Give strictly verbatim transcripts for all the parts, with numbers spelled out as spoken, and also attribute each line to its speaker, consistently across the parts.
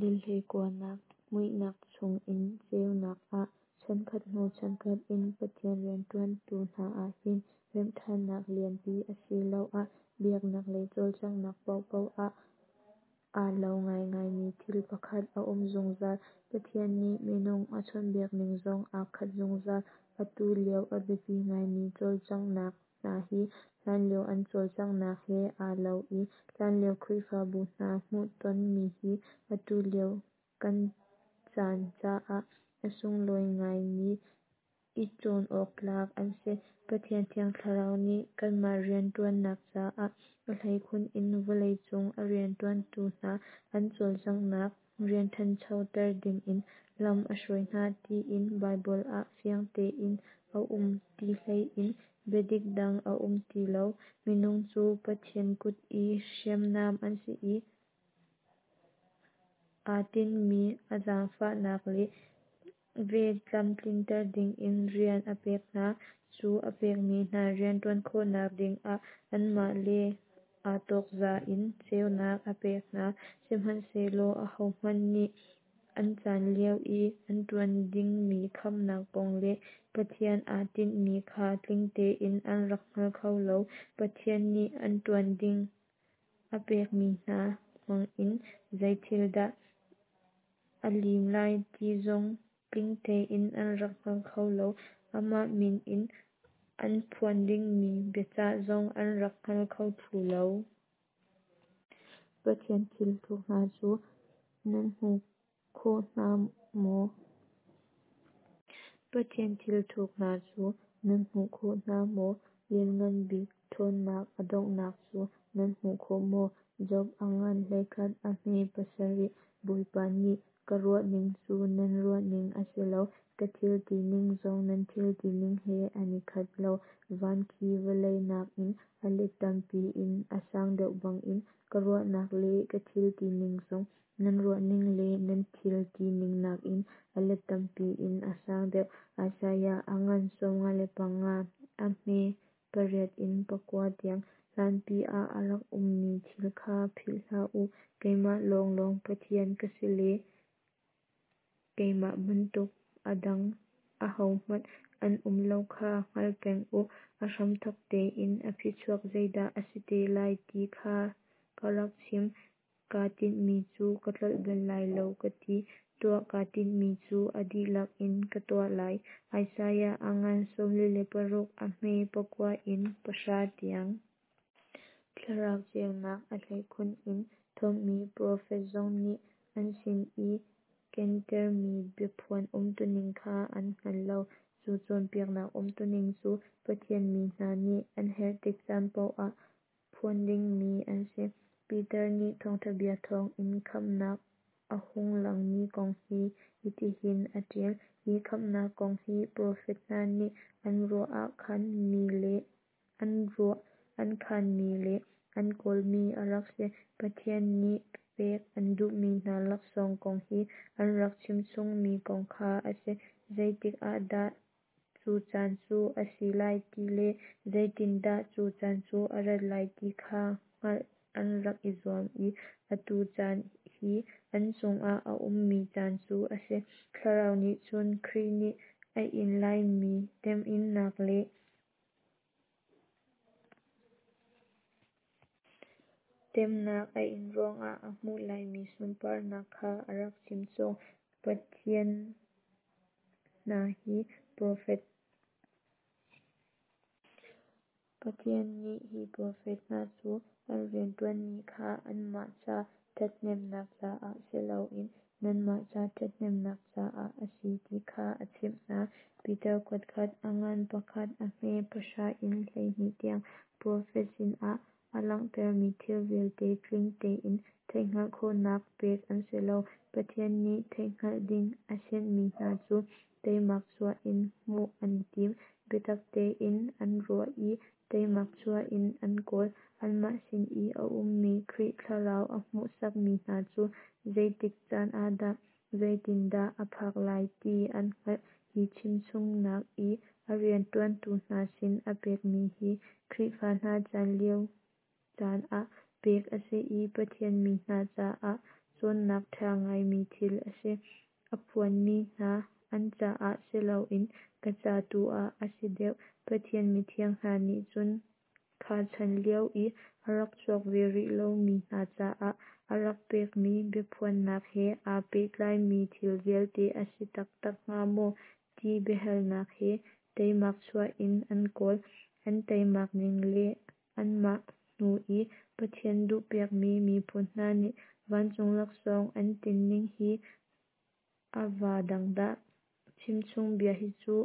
Speaker 1: Dal hleikuanak Muihnak chungin ceunak ah Chankhat hnu chankhat in Pathian rianṭuantu hna ah hin remhṭhannak lianpi asiloah biaknak lei cawlcanghnak paohpaoh ah aa lo ngaingaimi thil pakhat a um zungzal. Pathian nih minung a chawnhbiakning zong aa khat zungzal. Atu lio a biapi ngaimi cawlcanghnak hna hi hlanlio an cawlcanghnak he aa lo i hlanlio Khrihfabu hna hmuhtonmi hi atu lio kan caan caah a sunglawi ngaimi i cawn awk tlak an si. Pathian Thiang Thlarau nih kanmah rianṭuannak caah a hleikhun in vawlei cung a rianṭuantu hna an cawlcanghnak rian ṭhanchoter dingin lam a hruai hna tiin Baibal ah fiang tein a um ti hlei in biadik dang a um ti lo. Minung cu Pathian kut i hriamnam an si i aa tinhmi a zaangfahnak le vel tlamtlinter dingin rian a pek hna. Cu a pekmi hna rian ṭuan khawhnak dingah anmah le aa tawkza in ceunak a pek hna. Sihmanhsehlaw ahohmanh nih an caan lio i an ṭuan dingmi khamhnak kong le Pathian aa tinhmi kha tling tein an rak hngal kho lo. Pathian nih an ṭuan ding a pekmi hna hmangin zei thil dah a lim lai ti zong tling tein an rak hngal kho lo. Amah min in an phuan dingmi biacah zong an rak hngal kho thlu lo. Pathian thil thuk hna cu nan hmu kho hna maw? Pathian thil thuk hna cu nan hmu kho hna maw? Lianngan Bik ṭhawnnak a donghnak cu nan hmu kho maw? Job a ngan hleikhat a hme pasarih. Bawipa nih, Ka ruahning cu nan ruahning a si lo, Ka thil tining zong nan thil tining he an i khat lo. Van khi vawlei nakin a let tam piin a san deuh bangin, Ka ruahnak le ka thil tining zong nan ruahning le nan thil tining nakin a let tam piin a sang deuh. Isaiah a ngan sawm nga le panga a hme pariat in pakua tiang. Hlanpi ah a rak ummi thil kha philh hlah u, Keimah lawnglawng Pathian ka si le keimah bantuk a dang ahohmanh an um lo kha hngal peng u. A hramthawk tein a phichuak zeidah a si te lai ti kha ka rak chim; Kaa tinhmi cu ka tlolh bal lai lo ka ti, Tuah kaa tinhmi cu a dihlak in ka tuah lai. Isaiah a ngan sawmli le paruk a hme pakua in pahra tiang. Thlarau ceunak, a hleikhun in thuamhmi profet zong nih an sin i kentermi biaphuan umtuning kha an hngal lo. Cu cawnpiaknak umtuning cu Pathian mi hna nih an herh tik caan paoh ah phuan dingmi an si. Peter nih thawngṭha bia thawngin khamhnak a hung langmi kong hi hitihin a ṭial: Hi khamhnak kong hi profet hna nih an ruah an khanmi le an kawlmi a rak si. Pathian nih pek an duhmi hna laksawng kong i an rak chimchungmi kong kha a si. Zeitik ah dah cu caan cu a si lai ti le zeitindah cu caan cu a rat lai ti kha hngalh an rak i zuam i atu caan hi an chungah a ummi caan cu a si. Thlarau nih cun Khrih nih a in laimi temhinnak le temhnak a in ruangah a hmuh laimi sunparnak kha a rak chimchung. Pathian hna hi profet Pathian nih hi profet hna cu an rianṭuanmi kha anmah ca ṭhathnemhnak caah si loin nanmah ca ṭhathnemhnak caah a si ti kha a chimh hna. Peter kuatkhat a ngan pakhat a hme pahra in hleihnih tiang. Profet sinah a langhtermi thil vialte tling tein theihhngalh khawhnak pek an si lo. Pathian nih theihhngalh ding a sianhmi hna cu teimak chuah in hmuh an i tim, biatak tein an ruah i teimak chuah in an kawl. Anmah sin i a ummi Khrih Thlarau a hmuhsakmi hna cu zeitik caan ah dah, zeitindah a phak lai ti an hngalh. Hi chimchungnak i a rianṭuantu hna sin a pekmi hi Khrihfa hna chan lio caan ah pek a si i Pathian mi hna caah cawnnak ṭha ngaimi thil a si. A phuanmi hna an caah si loin ka ca tu ah a si deuh. Pathian mithiang hna nih cun kha chan lio i a rak chuak ve rih lomi hna caah a rak pekmi biaphuannak he aa pehtlaimi thil vialte a si taktak hnga maw ti biahalnak he teimak chuah in an kawl. An teimak ning le anmah hnu i Pathian duhpiakmi miphun hna nih vancung laksawng an tinning hi a vaa dang dah! Chimchung bia hi cu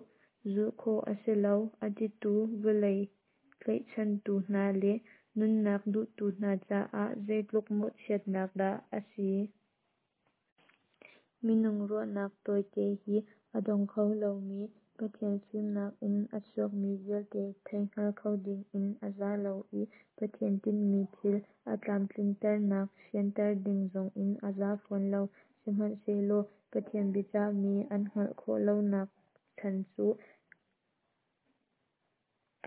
Speaker 1: zulh khawh a si lo a titu vawlei tlaihchantu hna le nunnak duhtu hna caah zeitluk mawhchiatnak dah a si. Minung ruahnak tawite hi a dong kho lomi Pathian fimnak in a chuakmi vialte theihngal kho dingin a za lo i Pathian tinhmi thil a tlamtlinternak fianter ding zongin a za fawn lo. Sihmanhsehlaw Pathian biacahmi an hngalh khawh lonak chan cu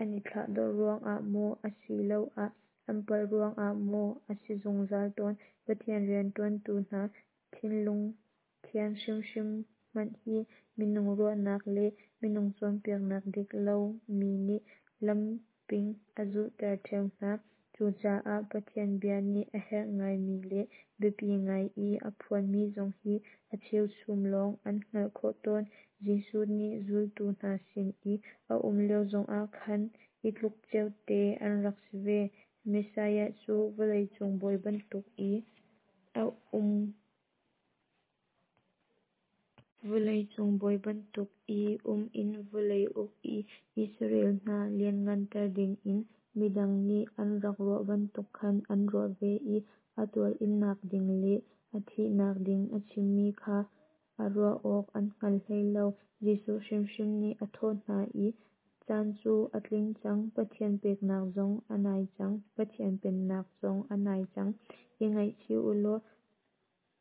Speaker 1: an i thlahdorh ruangah maw asiloah an palh ruangah maw a si zungzal tawn. Pathian rianṭuantu hna thinlung thian hrimhrim hmanh hi minung ruahnak le minung cawnpiaknak dik lomi nih lamping a zulhter ṭheo hna. Cucaah Pathian bia nih a herh ngaimi le biapi ngai i a phuanmi zong hi a cheuchum lawng an hngalh khawh tawn. Jesuh nih zultu hna sin i a um lio zongah khan hi tluk ceote an rak si ve. Messiah cu vawleicung bawi bantuk i a um Vawleicung bawi bantuk i um in vawlei uk i Israel hna lianhnganter dingin midang nih an rak ruah bantuk khan an ruah ve i a tuarinnak ding le a thihnak ding a chimmi kha a ruah awk an hngal hlei lo. Jesuh hrimhrim nih a thawh hna i, Caan cu a tling cang, Pathian pennak zong a nai cang, Pathian pennak zong a nai cang. I ngaihchih u law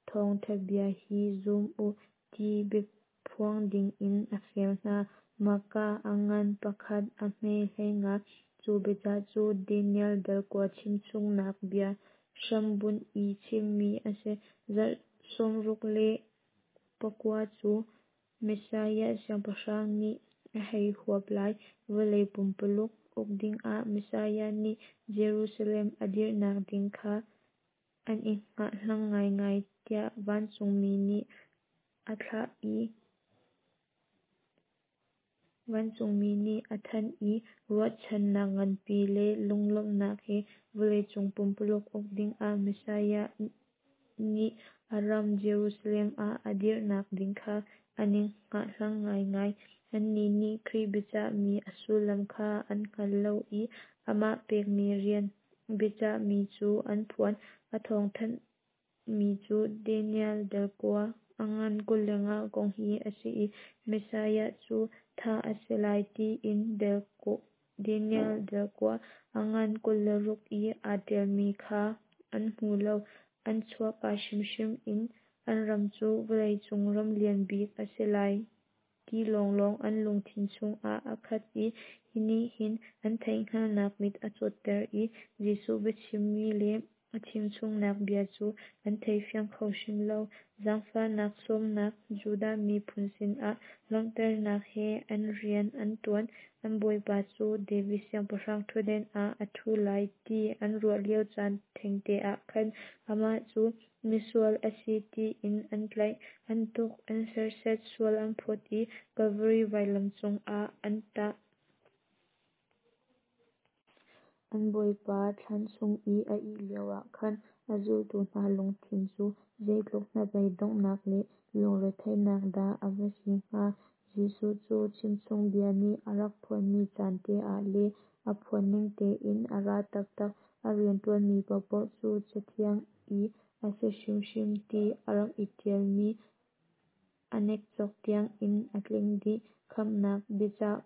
Speaker 1: thawngṭha bia hi zum u, ti biaphuang dingin a fial hna. Marka a ngan pakhat a hme hleinga. Cu biacah cu Daniel dal kua chimchungnak bia hrambunh i chimmi a si. Zarh sawmruk le pakua cu Messiah Siangpahrang nih a hei huap lai. Vawlei pumpuluk uk dingah Messiah nih Jerusalem a dirhnak ding kha an i hngahhlang ngaingai tiah vancungmi nih a thlah i vancungmi nih a thanh i ruahchannak nganpi le lunglawmhnak he vawleicung pumpuluk uk dingah Messiah nih a ram Jerusalem ah a dirhnak ding kha an i hngahhlang ngaingai. Annih nih Khrih biacahmi a sullam kha an hngal lo i amah pekmi rian biacahmi cu an phuan. A thawngthanhmi cu Daniel dal kua a ngan kul le nga kong hi a si i Messiah cu thah a si lai tiin Daniel dal kua a ngan kul le ruk i aa ṭialmi kha an hmu lo. An chuahka hrimhrim in an ram cu vawleicung ram lian bik a si lai ti lawnglawng an lungthin chungah a khat i hi nih hin an theihhngalhnak mit a cawtter i Jesuh biachimmi le a chimchungnak bia cu an theifiang kho hrim lo. Zaangfahnak sawmnak Judah miphun sinah lawmhternak he an rian an ṭuan. An bawipa cu David siangpahrang ṭhutden ah a ṭhu lai ti an ruah lio caan thengte ah khan amah cu misual a si tiin an tlaih, an tuk, an serhsat, sual an phawt i Kalvari vailam cungah an tah. An Bawipa thlan chung i a ih lioah khan a zultu hna lungthin cu zeitluk hnabei donghnak le lungretheihnak dah a va si hnga! Jesuh cu chimchung bia nih a rak phuanmi caan te ah le a phuan ning tein a ra taktak. A rianṭuanmi paohpaoh cu Cathiang i a si hrimhrim ti a rak i ṭialmi a nekcok tiangin a tling dih. Khamhnak biacah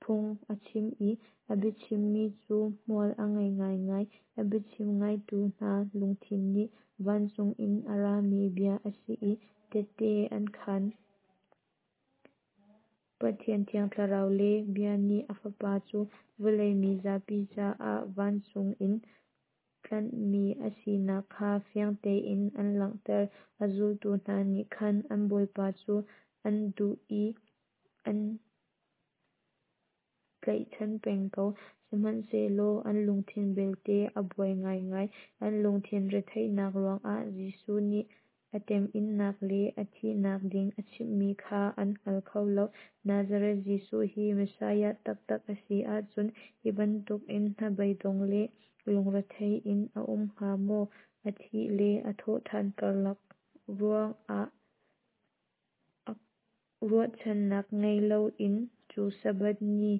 Speaker 1: phung a chim i a biachimmi cu hmual a ngei ngaingai. A biachim ngaitu hna lungthin nih vancung in a rami bia a si i tehte an khan. Pathian Thiang Thlarau le Bia nih a Fapa cu vawlei mi zapi caah vancung in tlanhmi a sinak kha fiang tein an langhter. A zultu hna nih khan an Bawipa cu an duh i an tlaihchan peng ko, sihmanhsehlaw an lungthin belte a buai ngaingai. An lungthin retheihnak ruangah Jesuh nih a temhinnak le a thihnak ding a chimmi kha an hngal kho lo. Nazareth Jesuh hi Messiah taktak a si ahcun hi bantukin hnabeidong le lungrethei in a um hnga maw? A thih le a thawhṭhan karlak ruangah ruahchannak ngei loin cu Sabbath ni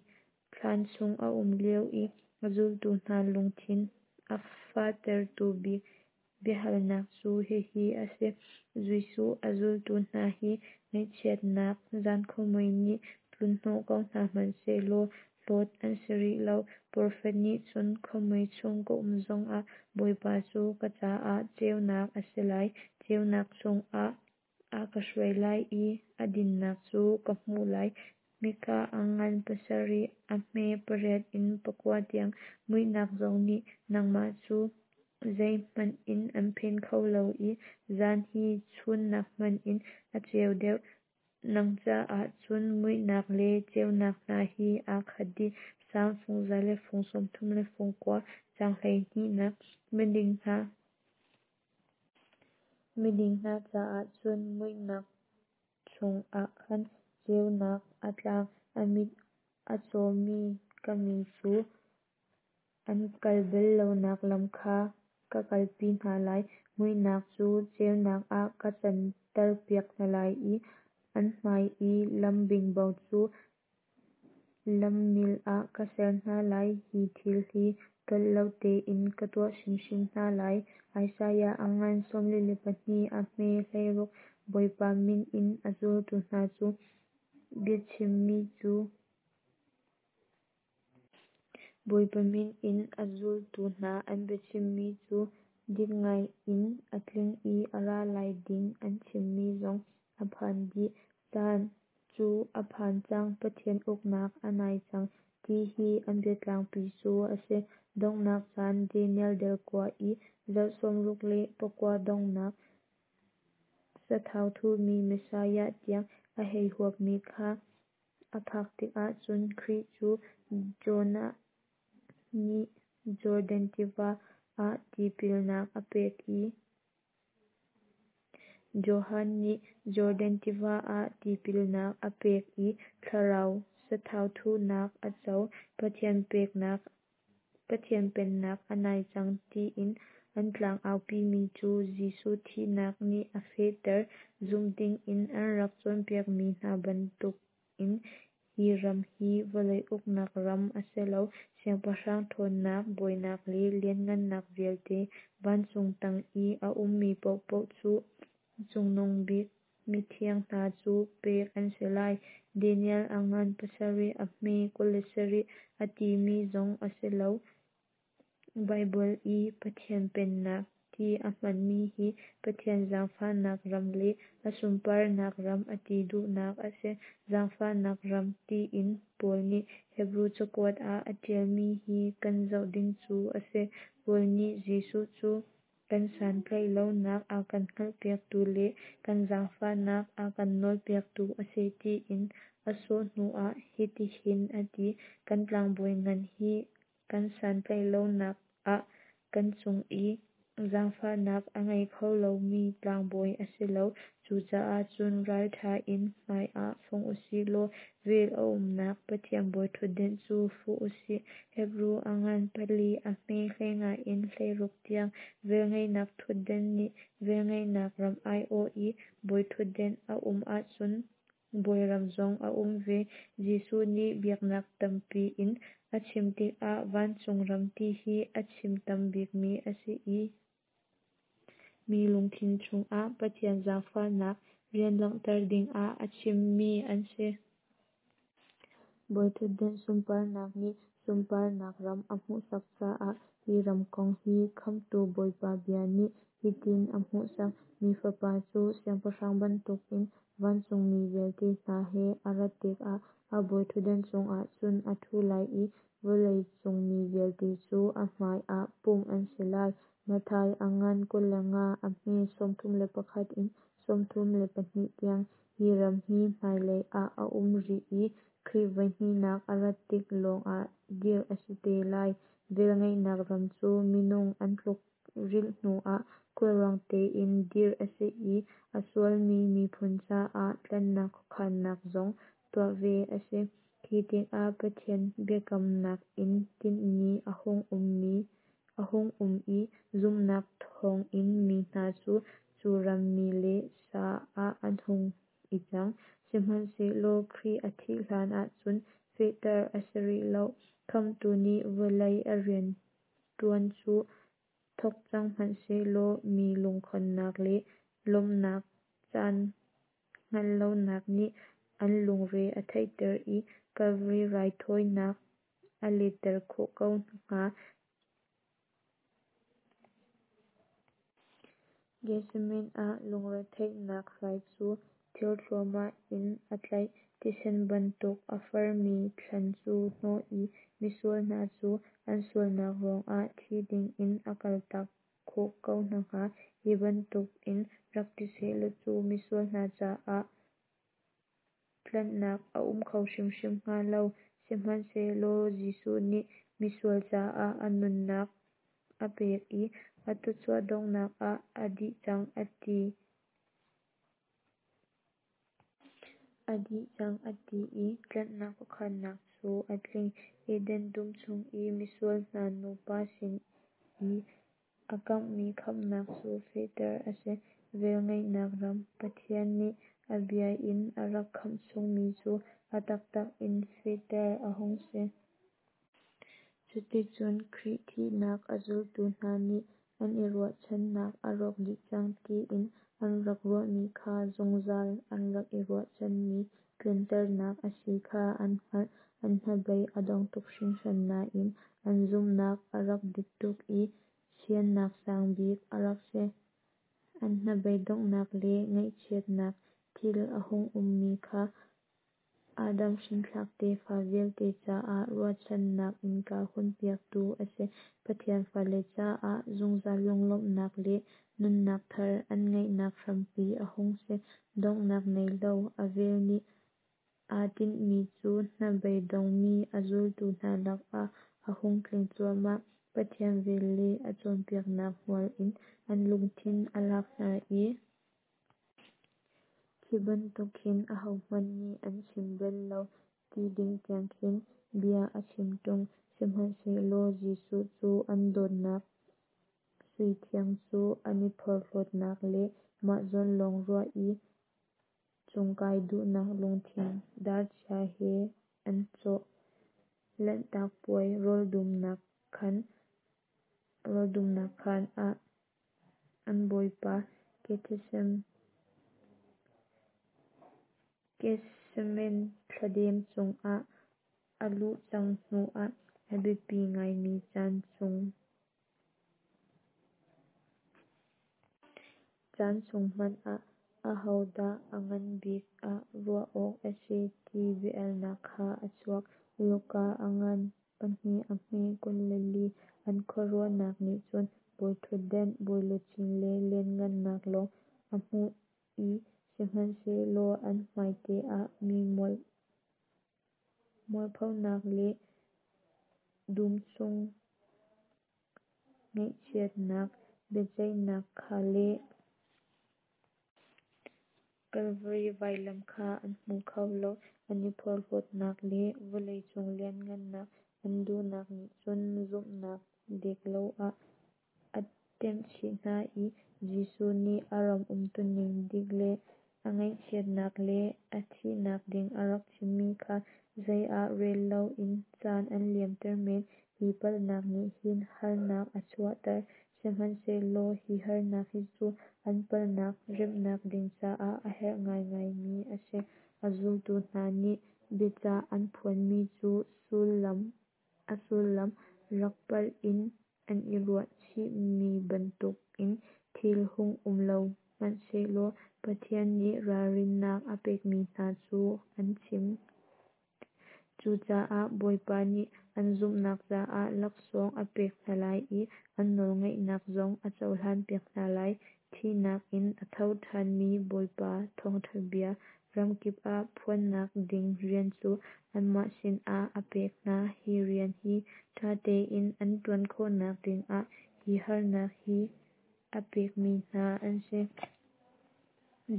Speaker 1: thlan chung a um lio i a zultu hna lungthin a fahtertu bik biahalnak cu hihi a si. Jesuh a zultu hna hi ngaihchiatnak zankhuamui nih tlunhnawh ko hna hmanhsehlaw hlawt an si rih lo. Profet nih cun khuamui chung ka um zongah Bawipa cu ka caah ceunak a si lai, ceunak chungah a ka hruai lai i a dinnak cu ka hmuh lai. Mikah a ngan pasarih a hme pariat in pakua tiang. Muihnak zong nih nangmah cu zeihmanh in an phen kho lo i zan hi chun nakhmanh in a ceu deuh. Nang caah cun muihnak le ceunak hna hi aa khat dih. Salm fung za le fung sawm thum le fung kua, caang hleihnihnak. Miding hna Miding hna caah cun muihnak chungah khan ceunak a tlang. A mit a cawmi ka mi cu an kal bal lonak lam kha ka kalpi hna lai. Muihnak cu ceunak ah ka canterpiak hna lai i an hmai i lam bingbo cu lammil ah ka ser hna lai. Hi thil hi tlolh lo tein ka tuah hrimhrim hna lai. Isaiah a ngan sawmli le pahnih a hme hleiruk. Bawipa min in a zultu hna cu biachimmi cu Bawipa min in a zultu hna an biachimmi cu dik ngai in a tling i a ra lai ding an chimmi zong a phan dih. Caan cu a phan cang, Pathian uknak a nai cang ti hi an biatlangpi cu a si. Donghnak caan Daniel dal kua i zarh sawmruk le pakua donghnak sathau thurmi Messiah tiang a hei huapmi kha a phak tikah cun Khrih cu Jonah nih Jordan tiva ah tipilnak a pek i Johan nih Jordan tiva ah tipilnak a pek i thlarau sathau thuhnak a co. Pathian peknak Pathian pennak a nai cang tiin an tlangaupimi cu Jesuh thihnak nih a fehter. Zumh dingin an rak cawnpiakmi hna bantukin hi ram hi vawlei uknak ram a si lo. Siangpahrang ṭhawnnak, bawinak le lianhngannak vialte vancung tang i a ummi paohpaoh cu Cungnung Bik mithiang hna cu pek an si lai. Daniel a ngan pasarih a hme kul le sarih a timi zong a si lo. Baibal i Pathian Pennak ti a hmanmi hi Pathian zaangfahnak ram le a sunparnak ram a ti duhnak a si. Zaangfahnak ram tiin Paul nih Hebru cakuat ah a ṭialmi hi kan zoh ding cu a si. Paul nih Jesuh cu kan santlaih lonak a kan hngalhpiaktu le kan zaangfahnak a kan nawlpiaktu a si tiin a sawh hnuah hitihin a ti: Kan tlangbawi ngan hi kan santlaih lonak ah kan cung i zaangfahnak a ngei kho lomi tlangbawi a si lo. Cucaah cun ralṭha in hmaiah fong u sih law vel a umnak Pathian bawiṭhutdan cu fuh u sih. Hebru a ngan pali a hme hleinga in hleiruk tiang. Velngeihnak ṭhutdan nih velngeihnak ram aiawh i bawiṭhutdan a um ahcun bawiram zong a um ve. Jesuh nih biaknak tampi in a chim tikah vancung ram ti hi a chim tam bikmi a si i mi lungthin chungah Pathian zaangfahnak rian langhter dingah a chimmi an si. Bawiṭhutdan sunparnak nih sunparnak ram a hmuhsak caah hi ram kong hi Khamhtu Bawipa bia nih Hitin a hmuhsak: Mi Fapa cu siangpahrang bantukin vancungmi vialte hna he a rat tikah a bawiṭhutdan cungah cun a ṭhu lai i vawlei cung mi vialte cu a hmai ah pumh an si lai. Matthai a ngan kul le nga, a hme sawmthum le pakhat in sawmthum le pahnih tiang. Hi ram hi hmailei ah a um rih i Khrih voihnihnak a rat tik lawngah dirh a si te lai. Velngeihnak ram cu minung an tlukrilh hnuah khulrang tein dirh a si i a sualmi miphun caah tlanhnak khuakhannak zong tuah ve a si. Khi tikah Pathian biakamnak in tinhmi a hung um i zumhnak thawngin mi hna cu cu ram mi le sa ah an hung i cang. Sihmanhsehlaw Khrih a thih hlan ahcun fehter a si rih lo. Khamhtu nih vawlei a rianṭuan cu thawk cang hmanhsehlaw mi lungkhonnak le lawmhnak caan hngalh lonak nih an lungre a theihter i Kalvari raithawinak a letter khawh ko hnga. Gethsemane ah lungretheihnak hrai cu thir thluahmah in a tlaih, thisen bantuk a farmi thlan cu hnawh i misual hna cu an sualnak ruangah thi dingin a kaltak khawh ko hna hnga. Hi bantukin rak ti sehlaw cu misual hna caah tlanhnak a um kho hrimhrim hnga lo. Sihmanhsehlaw Jesuh nih misual caah a nunnak a pek i a thawchuah donghnak ah "A dih cang" a ti. A dih cang a ti i tlanhnak khuakhannak cu a tling. Eden dum chung i misual hna nupa sin i a kamhmi khamhnak cu fehter a si. Velngeihnak ram, Pathian nih a bia in a rak khamh chungmi cu a taktak in fehter a hung si. Cuticun Khrih thihnak a zultu hna nih an i ruahchannak a rawk dih cang tiin an rak ruahmi kha zungzal an rak i ruahchanmi tlinternak a si kha an hngalh. An hnabei a dong tuk hringhran nain an zumhnak a rak dik tuk i siannak sang bik a rak si. An hnabei donghnak le ngaihchiatnak thil a hung ummi kha Adam hrinthlak tefa vialte caah ruahchannak innka hunpiaktu a si. Pathian fale caah zungzal lunglawmhnak le nunnak thar an ngeihnak hrampi a hung si. Donghnak nei lo a vel nih aa tinhmi cu hnabei dongmi a zultu hna lakah a hung tling cuahmah. Pathian vel le a cawnpiaknak hmual in an lungthin a lak hna i khi bantuk khin ahohmanh nih an chim bal lo ti ding tiang khin bia a chim ṭung. Sihmanhsehlaw Jesuh cu an dawtnak sui thiang cu an i porhlawtnak le mah zawn lawng ruah i cungkai duhnak lungthin darchia he an cawh. Lanhtak puai rawldumnak khaan ah an Bawipa Gethsemane thladem chungah a luh cang hnu ah a biapi ngaimi caan chung hmanh ah ahodah a ngan bik ah ruah awk a si ti bia-alnak kha a chuak. Luka a ngan pahnih a hme kul le li. An khuaruahnak nih cun bawiṭhutdan, bawiluchin le lianhngannak lawng a hmuh i sihmanhsehlaw an hmaite ah mi mualphonak le dum chung ngaihchiatnak biaceihnak kha le Kalvari vailam kha an hmu kho lo. An i porhlawtnak le vawleicung lianhngannak an duhnak nih cun zumhnak diklo ah a temhchih hna i Jesuh nih a ram umtuning dik le a ngaihchiatnak le a thihnak ding a rak chimmi kha zei ah rel loin caan an liamter men. Hi palhnak nih hin harnak a chuahter. Sihmanhsehlaw hi harnak hi cu an palhnak remhnak ding caah a herh ngaingaimi a si. A zultu hna nih biacah an phuanmi cu a sullam rak palh in an i ruah chihmi bantukin Thil hung um lo hmanhsehlaw Pathian nih ralrinnak a pekmi hna cu an chim. Cucaah Bawipa nih an zumhnak caah laksawng a pek hna lai i an nawlngaihnak zong a cohlan piak hna lai. Thihnak in a tho ṭhanmi Bawipa thawngṭha bia ramkip ah phuannak ding rian cu anmah sinah a pek hna. Hi rian hi ṭha tein an ṭuan khawhnak dingah hi harnak hi a pekmi hna an si.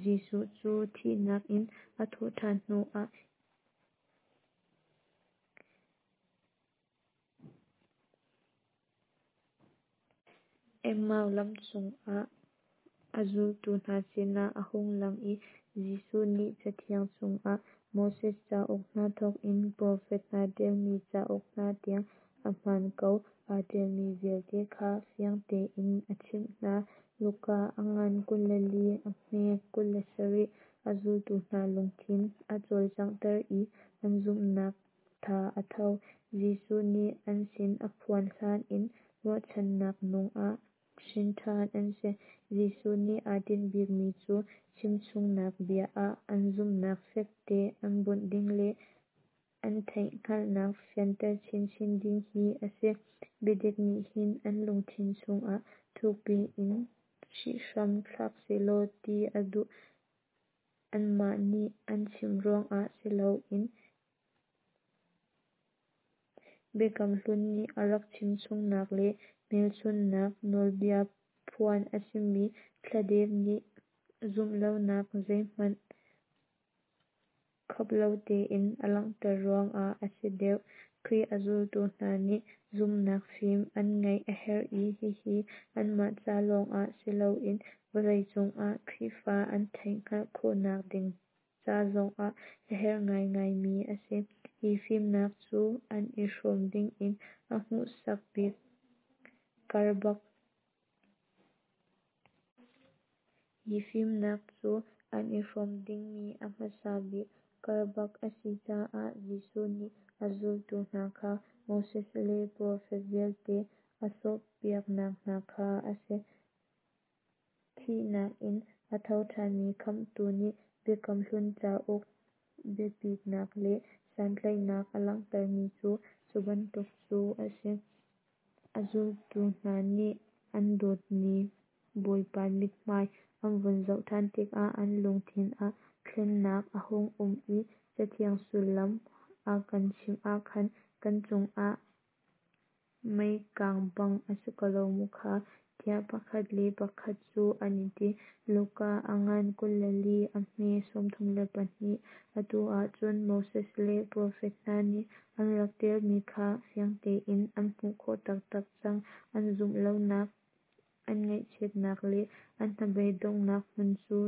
Speaker 1: Jesuh cu thihnak in a thawh ṭhan hnuah Emmau lam cungah a zultu hna sinah a hung lang i Jesuh nih Cathiang chungah Moses cauk hna thawkin profet hna ṭialmi cauk hna tiang ahmaan ko aa ṭialmi vialte kha fiang tein a chimh hna. Luka a ngan kul le li a hme kul le sarih. A zultu hna lungthin a cawlcanghter i an zumhnak tha a tho. Jesuh nih an sin a phuan hlan in ruahchannak nung ah hrin ṭhan an si. Jesuh nih aa tinh bikmi cu chimchungnak bia ah an zumhnak fekte an bunh ding le an theihhngalhnak fianter chinchin ding hi a si. Biadik nih hin an lungthin chungah thukpi in hrihhram thlak sehlaw ti a duh. Anmah nih an chimh ruangah si loin Biakam Hlun nih a rak chimchungnak le hmelchunhnak nawlbia phuan a simi thladem nih zumh lonak zeihmanh khap lo tein a langhter ruangah a si deuh. Khrih a zultu hna nih zumhnak fim an ngeih a herh i hihi anmah ca lawngah si loin vawleicung ah Khrihfa an theihhngalh khawhnak ding ca zongah a herh ngaingaimi a si. Hi fimnak cu an i hrawm dingin a hmuhsak bik karbak Hi fimnak cu an i hrawm dingmi a hmasa bik karbak a si caah Jesuh nih a zultu hna kha Moses le profet vialte a sawhpiaknak hna kha a si. Thihnak in a tho ṭhanmi Khamhtu nih Biakam Hlun cauk biapitnak le santlaihnak a langhtermi cu cu bantuk cu a si. A zultu hna nih an dawtmi Bawipa mithmai an vun zoh ṭhan tikah an lungthin ah thlennak a hung um i Cathiang sullam a kan chimh ah khan kan chungah mei kang bang a si ko lo maw kha, tiah pakhat le pakhat cu an i ti. Luka a ngan kul le li a hme sawmthum le pahnih. Atu ah cun Moses le profet hna nih an rak ṭialmi kha fiang tein an hmuh khawh taktak cang. An zumh lonak, an ngaihchiatnak le an hnabeidonghnak hmun cu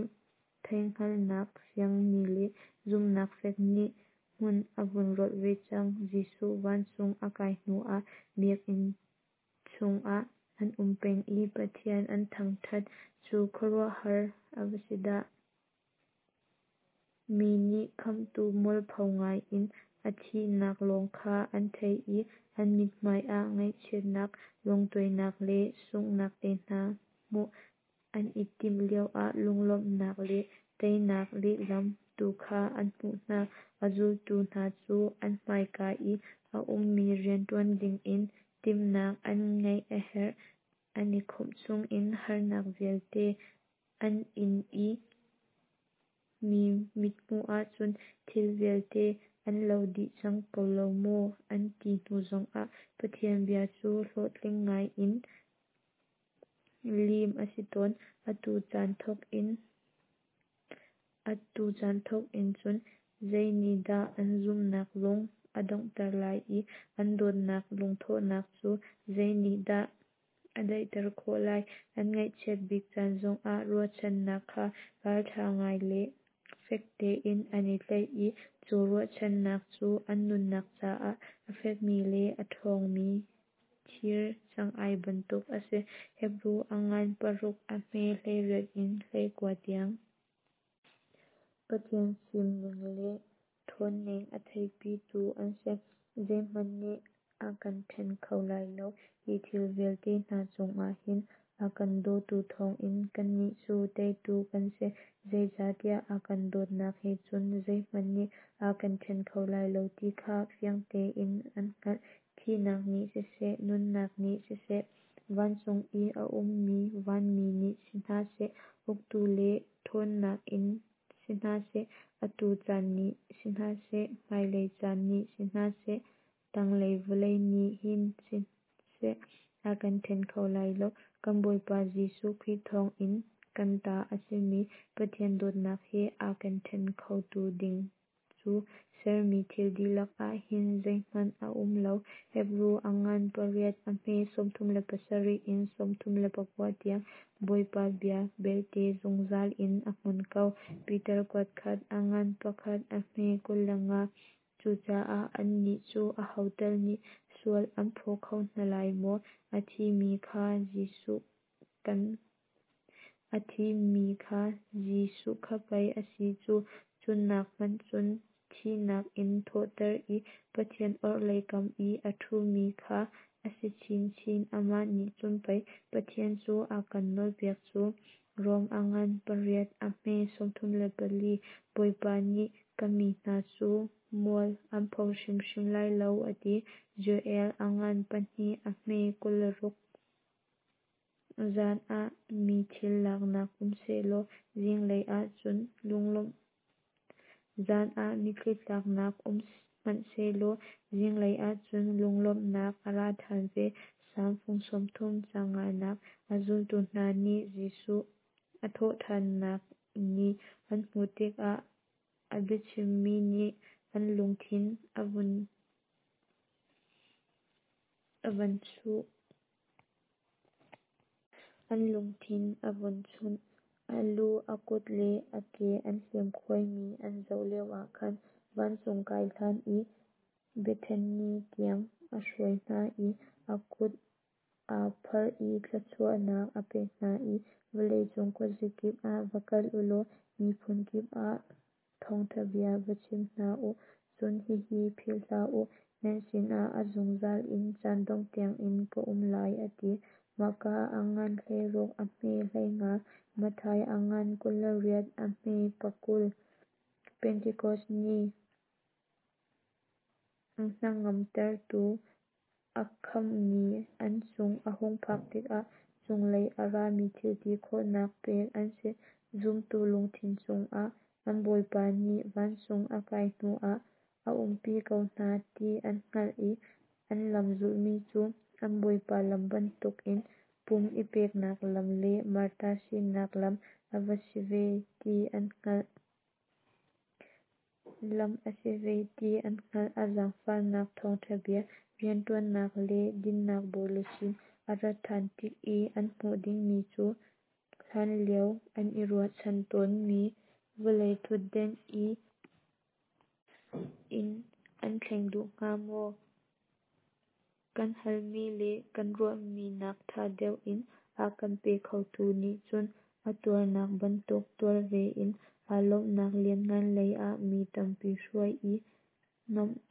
Speaker 1: theihhngalhnak fiangmi le zumhnak fek nih hmun a vun rolh ve cang. Jesuh vancung a kai hnuah biakinn chungah an um peng i Pathian an thangṭhat cu khuaruahhar a va si dah! Mi nih Khamhtu mualpho ngaiin a thihnak lawng kha an theih i an mithmai ah ngaihchiatnak, lungtuainak le sunghnak te hna hmuh an i timh lioah lunglawmhnak le teinak lehlam tu kha an hmuh hna. A zultu hna cu an hmaika i a ummi rianṭuan dingin timhnak an ngeih a herh. An i khawmh chungin harnak vialte an in i mi mithmuh ahcun thil vialte an lo dih cang ko lo maw an ti hnu zongah Pathian bia cu hlawhtling ngai in lim a si tawn. Atu caan thawk in Atu caan thawk in cun zei nih dah an zumhnak lung a donghter lai i an dawtnak lungthawhnak cu zei nih dah a daihter khawh lai? An ngaihchiat bik caan zongah ruahchannak kha ralṭha ngai le fek tein an i tlaih i cu ruahchannak cu an nunnak caah a fekmi le a ṭhawngmi thir cangai bantuk a si. Hebru a ngan paruk a hme hleiriat in hleikua tiang. Pathian fimning le ṭhawnning a theihpitu an si. Zeihmanh nih a kan ṭhen kho lai lo, hi thil vialte hna chungah hin A kan dawtu thawngin kannih cu teitu kan si. Zeicahtiah a kan dawtnak he cun zeihmanh nih a kan ṭhen kho lai lo ti kha fiang tein an hngalh. Thihnak nih siseh, nunnak nih siseh, vancung i a ummi vanmi nih si hna seh, uktu le ṭhawnnak in si hna seh, atu caan nih si hna seh, hmailei caan nih si hna seh, tanglei vawlei nih hin siseh, a kan ṭhen kho lai lo. Kan Bawipa Jesuh Khrih thawngin kan ta a simi Pathian dawtnak he a kan ṭhen khotu ding cu sermi thil dihlak ah hin zeihmanh a um lo. Hebru a ngan pariat a hme sawmthum le pasarih in sawmthum le pakua tiang. Bawipa bia belte zungzal in a hmun ko. Peter kuat khat a ngan pakhat a hme kul le nga. Cucaah annih cu aho tal nih sual an phaw kho hna lai maw? A thimi kha Jesuh kan a thimi kha Jesuh kha pei a si cu, cu nak hmanh cun thihnak in thawhter i Pathian orhlei kam i a ṭhumi kha a si chinchin. Amah nih cun pei Pathian cu a kan nawlpiak cu. Rom a ngan pariat a hme sawmthum le pali. Bawipa nih ka mi hna cu mual an pho hrimhrim lai lo, a ti. Joel a ngan pahnih a hme kul le ruk. Zan ah mi thil laknak um sehlaw zinglei ah cun lunglawmh Zan ah mitthli tlaknak um hmanhsehlaw zinglei ah cun lunglawmhnak a ra ṭhan ve. Salm fung sawmthum caang nganak. A zultu hna nih Jesuh a thawhṭhannak ni an hmuh tikah a biachimmi nih an lungthin a vun a van chuh. An lungthin a vun chunh. A lu, a kut le a ke an hliamkhuaimi an zoh lioah khan vancung kai hlan i Bethani tiang a hruai hna i a kut aa pharh i thluachuahnak a pek hna i vawleicung khuazakip ah va kal u law miphun kip ah thawngṭha bia va chim hna u. Cun hihi philh hlah u, nan sinah a zungzal in caan dongh tiangin ka um lai, a ti. Marka a ngan hleiruk a hme hleinga. Matthai a ngan kul le riat a hme pakul. Pentekos ni hnangamtertu a khamh ni an cung a hung phak tikah cunglei a rami thil ti khawhnak pek an si. Zumtu lungthin chungah an Bawipa nih vancung a kai hnuah a umpi ko hna ti an hngalh i an lam zulhmi cu an Bawipa lam bantukin pum i peknak lam le Martar sinak lam a va si ve ti an hngalh. Lam a si ve ti an hngalh. A zaangfahnak thawngṭha bia rianṭuannak le dinnak bawiluchin a rat ṭhan tik i an hmuh dingmi cu hlanlio an i ruahchan tawnmi vawlei ṭhutden i in an thleng duh hnga maw? Kan halmi le kan ruahmi nak ṭha deuh in a kan pe khotu nih cun a tuarnak bantuk tuar ve in aa lawmhnak lianngan lei ah mi tampi hruai i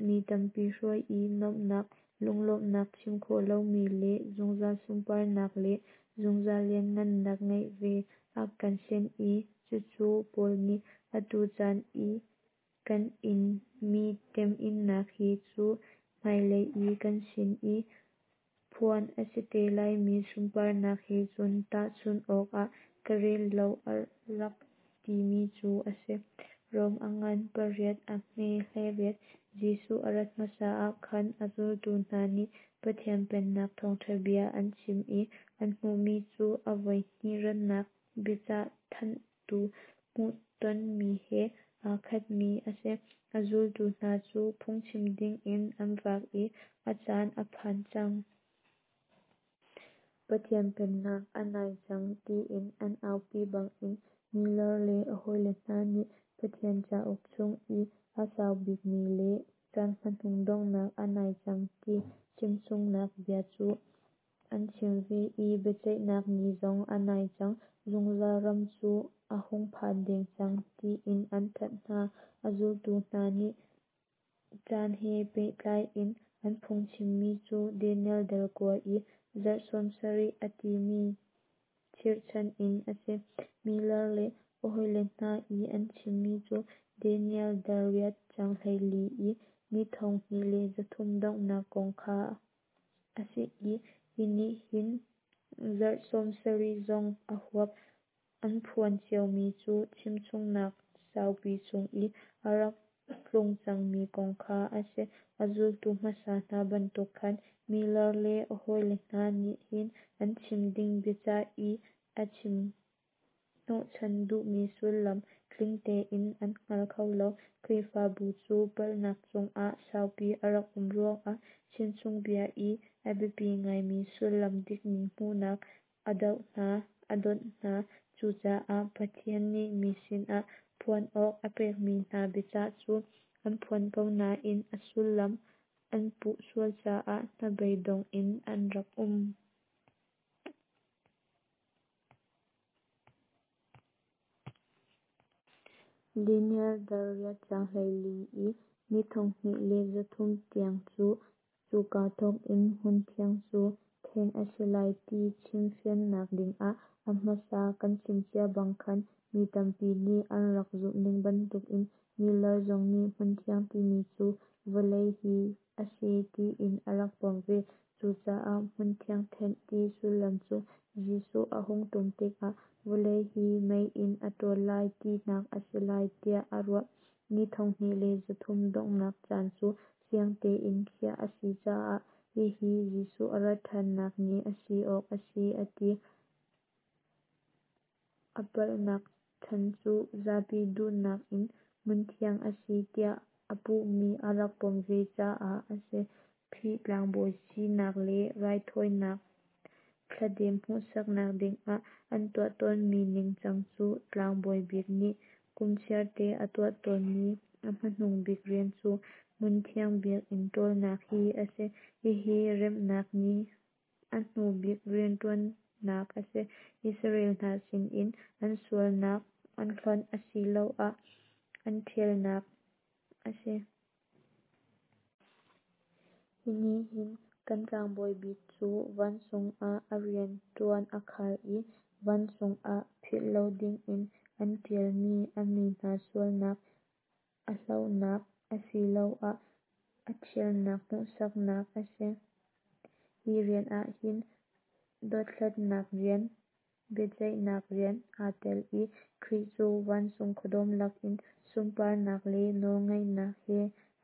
Speaker 1: mi tampi hruai i nuamhnak, lunglawmhnak chim khawh lomi le zungzal sunparnak le zungzal lianhngannak ngeih ve a kan senh i cucu Paul nih atu caan i kan inmi temhinnak hi cu hmailei i kan sin i phuan a si te laimi sunparnak he cun tahchunh awk ah ka rel lo a rak timi cu a si. Rom a ngan pariat a hme hleiriat. Jesuh a rat hmasa ah khan a zultu hna nih Pathian Pennak thawngṭha bia an chim i an hmuhmi cu a voihnih rannak biacah thanhtu hmuhtonmi he aa khatmi a si. A zultu hna cu phungchim dingin an vak i a caan a phan cang. Pathian Pennak a nai cang tiin an aupi bangin Miller le a hawile hna nih Pathian cauk chung i a sau bikmi le caan hmanung donghnak a nai cang ti chimchungnak bia cu an chim ve i biaceihnak ni zong a nai cang, zungzal ram cu a hung phan deng cang tiin an thanh hna. A zultu hna nih caan he pehtlai in an phungchimmi cu Daniel dal kua i zarh sawm sarih a timi chirhchan in a si. Miller le a hawile hna i an chimmi cu Daniel dal riat caang hleili i ni thonghnih le zathum donghnak kong kha a si i hi nih hin zarh sawmsarih zong a huap. An phuan ciomi cu chimchungnak saupi chung i a rak tlung cangmi kong kha a si. A zultu hmasa hna bantuk khan Miller le a hawile hna nih hin an chim ding biacah i a chim hnawhchan duhmi sullam tling tein an hngal kho lo. Khrihfabu cu palhnak chungah saupi a rak um ruangah chimchungbia i a biapi ngaimi sullam dikmi hmuhnak a doh hna, a dawnh hna. Cucaah Pathian nih mi sinah phuan awk a pekmi hna biacah cu an phuan ko nain a sullam an puh sual caah hnabeidong in an rak um. Daniel dal riat caang hleili i ni thonghnih le zathum tiang cu cuka thawkin hmunthiang cu thenh a si lai ti chim fiannak dingah a hmasa kan chim cia bang khan mi tampi nih an rak zumhning bantukin Miller zong nih hmunthiang timi cu vawlei hi a si tiin a rak pom ve. Cucaah hmunthiang thenh ti sullam cu Jesuh a hung tum tikah vawlei hi mei in a tawl lai tinak a si lai tiah a ruah. Ni thonghnih le zathum donghnak caan cu fiang tein khiah a si caah hihi Jesuh a rat thannak ni a si awk a si a ti. A palhnak chan cu zapi duhnak in hmunthiang a si tiah a puhmi a rak pom ve caah a si. Khrih tlangbawi sinak le raithawinak thladem hmuhsaknak dingah an tuah tawnmi ningcang cu tlangbawi bik nih kum chiarte a tuah tawnmi a hmanung bik rian cu hmunthiang biakinn ṭawlnak hi a si. Hihi remnak ni a hnu bik rianṭuannak a si. Israel hna sinin an sualnak an hlonh asiloah an ṭhialnak a si. Hi nih hin kan tlangbawi bik cu vancung ah a rianṭuan a khar i vancung ah philh lo dingin an ṭialmi a mi hna sualnak a hlohnak asiloah a ṭhialnak hmuhsaknak a si. Hi rian ah hin dothlatnak rian, biaceihnak rian aa tel i Khrih cu vancung khuadawm lakin sunparnak le nawlngeihnak he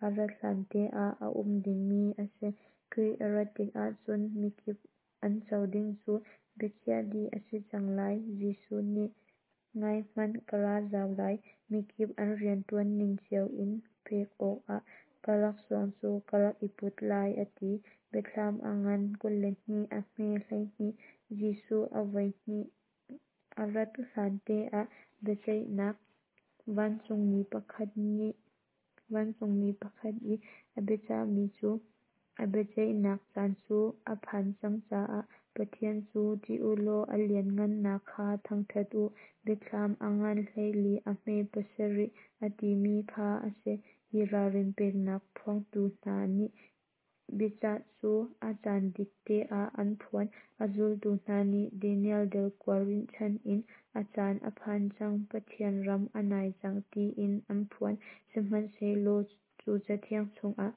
Speaker 1: a rat hlante ah a um dingmi a si. Khrih a rat tikah cun mikip an co ding cu biakhiah dih a si cang lai. Jesuh nih Ngaihmanh, ka ra zau lai, mikip an rianṭuan ning cio in pek awkah ka laksawng cu ka rak i put lai, a ti. Biathlam a ngan kul le hnih a hme hleihnih. Jesuh a voihnih a rat hlante ah biaceihnak vancungmi pakhat nih vancungmi pakhat i a biacahmi cu a biaceihnak caan cu a phan cang caah Pathian cu ṭih u law a lianhngannak kha thangṭhat u. Biathlam a ngan hleili a hme pasarih a timi kha a si. Hi ralrin peknak phuangtu hna nih biacah cu a caan dik te ah an phuan. A zultu hna nih Daniel dal kua rinhchan in a caan a phan cang, Pathian ram a nai cang tiin an phuan. Sihmanhsehlaw cu Cathiang chungah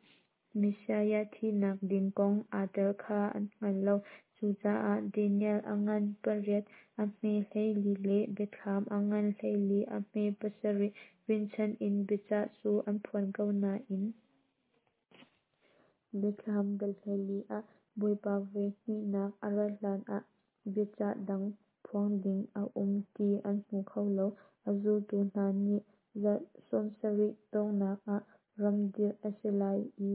Speaker 1: Messiah thihnak ding kong aa tel kha an hngal lo. Cucaah Daniel a ngan pariat a hme hleili le Biathlam a ngan hleili a hme pasarih rinhchan in biacah cu an phuan ko nain Biathlam dal hleili ah Bawipa voi hnihnak a rat hlanah biacah dang phuang ding a um ti an hmu kho lo. A zultu hna nih zarh sawmsarih donghnak ah ram dirh a si lai i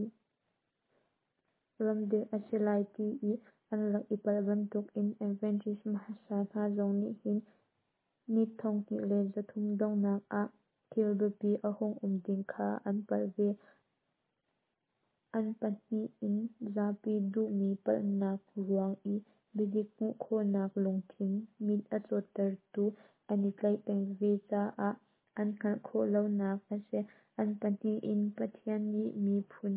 Speaker 1: ram dirh a si lai ti i an rak i palh bantukin Adventist hmasa hna zong nih hin ni thonghnih le zathum donghnak ah thil biapi a hung um ding kha an palh ve. An pahnih in zapi duhmi palhnak ruang i biadik hmuh khawhnak lungthin mit a cawttertu an i tlaih peng ve caah an hngalh khawh lonak a si. An pahnih in Pathian nih miphun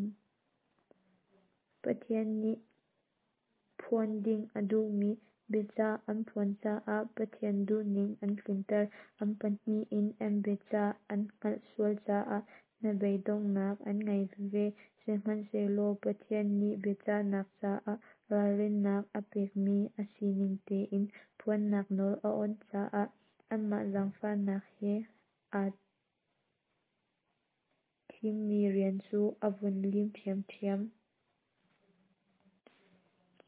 Speaker 1: Pathian nih phuan ding a duhmi Biacah an phuan caah Pathian duhning an tlinter. An pahnih in an biacah an hngalh sual caah hnabeidonghnak an ngei veve. Sihmanhsehlaw Pathian nih biacahnak caah ralrinnak a pekmi a sining tein phuannak nawl a awnh caah anmah zaangfahnak he aa thimmi rian cu a vun lim ṭhiamṭhiam.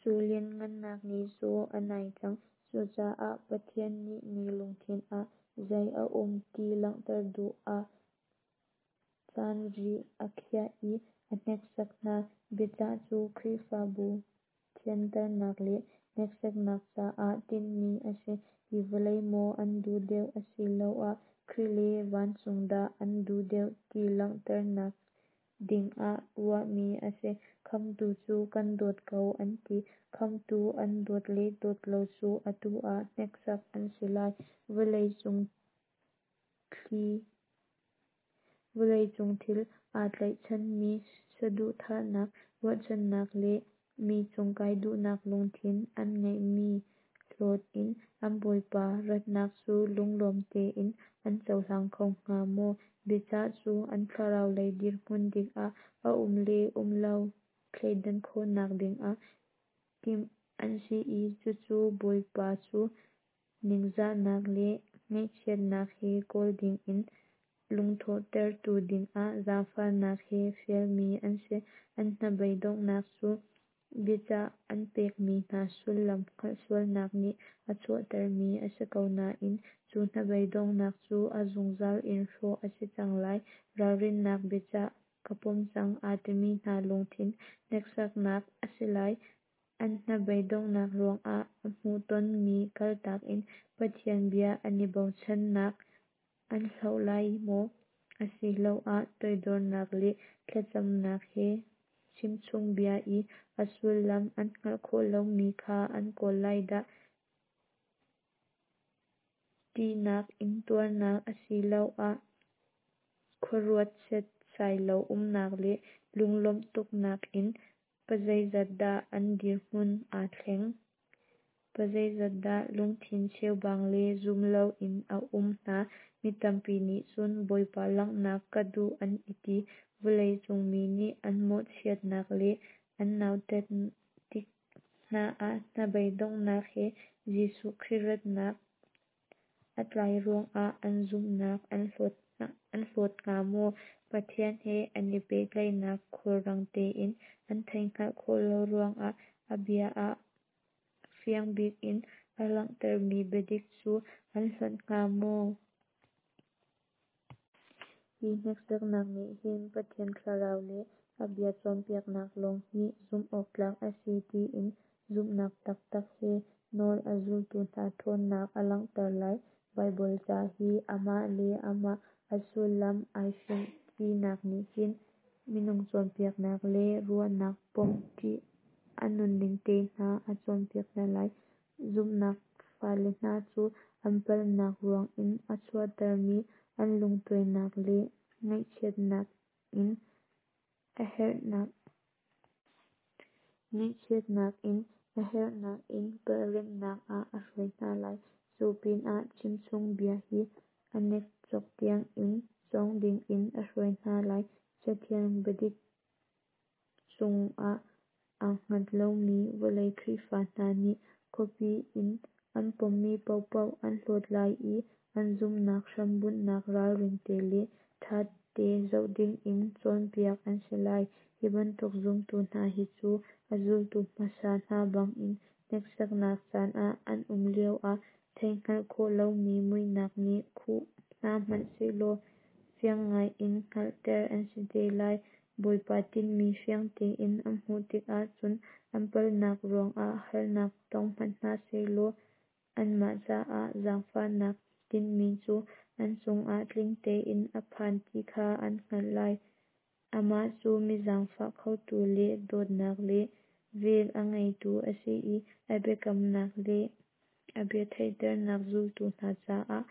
Speaker 1: Cu lianhngannak ni cu a nai cang. Cucaah Pathian nih mi lungthin ah zei a um ti langhter duh ah caan ri a khiah i a hneksak hna. Biacah cu Khrihfabu thianternak le hneksaknak caah tinhmi a si. Hi vawlei maw an duh deuh asiloah Khrih le vancung dah an duh deuh ti langhternak dingah ruahmi a si. Khamhtu cu kan dawt ko an ti. Khamhtu an dawt le dawt lo cu atu ah hneksak an si lai. Vawleicung thil aa tlaihchanmi saduhthahnak, ruahchannak le mi cung kai duhnak lungthin an ngeihmi hlawt in an Bawipa ratnak cu lunglawm tein an cohlang kho hnga maw? Biacah cu an thlarau lei dirhmun dik ah a um le um lo thleidan khawhnak dingah timh an si i cucu Bawipa cu ningzahnak le ngaihchiatnak he kawl dingin lungthawhtertu dingah zaangfahnak he fialmi an si. An hnabeidonghnak cu biacah an pekmi hna sullam hngalh sualnak nih a chuahtermi a si ko nain cu hnabeidonghnak cu a zungzal in hrawh a si cang lai. Ralrinnak biacah ka pom cang aa timi hna lungthin hneksaknak a si lai. An hnabeidonghnak ruangah a hmuhtonmi kaltak in Pathian bia an i bochannak an hloh lai maw? Asiloah toidornak le thlacamnak he chimchungbia i a sullam an hngalh khawh lomi kha an kawl lai dah? Ṭihnak, intuarnak asiloah khuaruat setsai lo umnak le lunglawmh tuknak in pazeizat dah an dirhmun aa thleng? Pazeizat dah lungthin cheubang le zum loin a um hna? Mi tampi nih cun Bawipa langhnak ka duh an i ti. Vawleicung mi nih an mawhchiatnak le an nautat tik hna ah hnabeidonghnak he Jesuh Khrih ratnak a tlai ruangah an zumhnak an hlawt hnga maw? Pathian he an i pehtlaihnak khulrang tein an theihhngalh khawh lo ruangah a bia ah fiang bik in a langhtermi biadik cu an hlonh hnga maw? Hi hneksaknak nih hin Pathian Thlarau le a bia cawnpiaknak lawng hi zumh awktlak a si tiin zumhnak taktak he nawl a zultu hna ṭhawnnak a langhter lai. Baibal ca hi amah le amah a sullam ai finh tinak nih hin minung cawnpiaknak le ruahnak pom ṭih a nunning te hna a cawnpiak hna lai. Zumhnak fale hna cu an palhnak ruang in a chuahtermi an lungtuainak le ngaihchiatnak in a herhnak ngaihchiatnak in a herhnak in palhremhnak ah a hruai hna lai. Cu pinah chimchungbia hi a nekcok tiangin cawng dingin a hruai hna lai. Cathiang biadik cungah aa hngat lomi vawlei Khrihfa hna nih khuapi in an pommi paohpaoh an hlawt lai i an zumhnak hrambunhnak ralring te le ṭha te zoh dingin cawnpiak an si lai. Hi bantuk zumtu hna hi cu a zultu hmasa hna bangin hneksaknak caan ah an um lioah theihhngalh khawh lomi muihnak nih khuh hna hmanh sehlaw fiang ngaiin hngalhter an si te lai. Bawipa tinhmi fiang tein an hmuh tikah cun an palhnak ruangah harnak tong hmanh hna sehlaw anmah caah zaangfahnak tinhmi cu an cungah tling tein a phan ti kha an hngalh lai. Amah cu mi zaangfah khotu le dawtnak le vel a ngeitu a si i a biakamnak le a bia theihternak zultu hna caah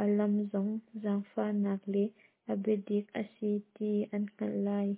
Speaker 1: a lam zong zaangfahnak le a biadik a si ti an hngalh lai.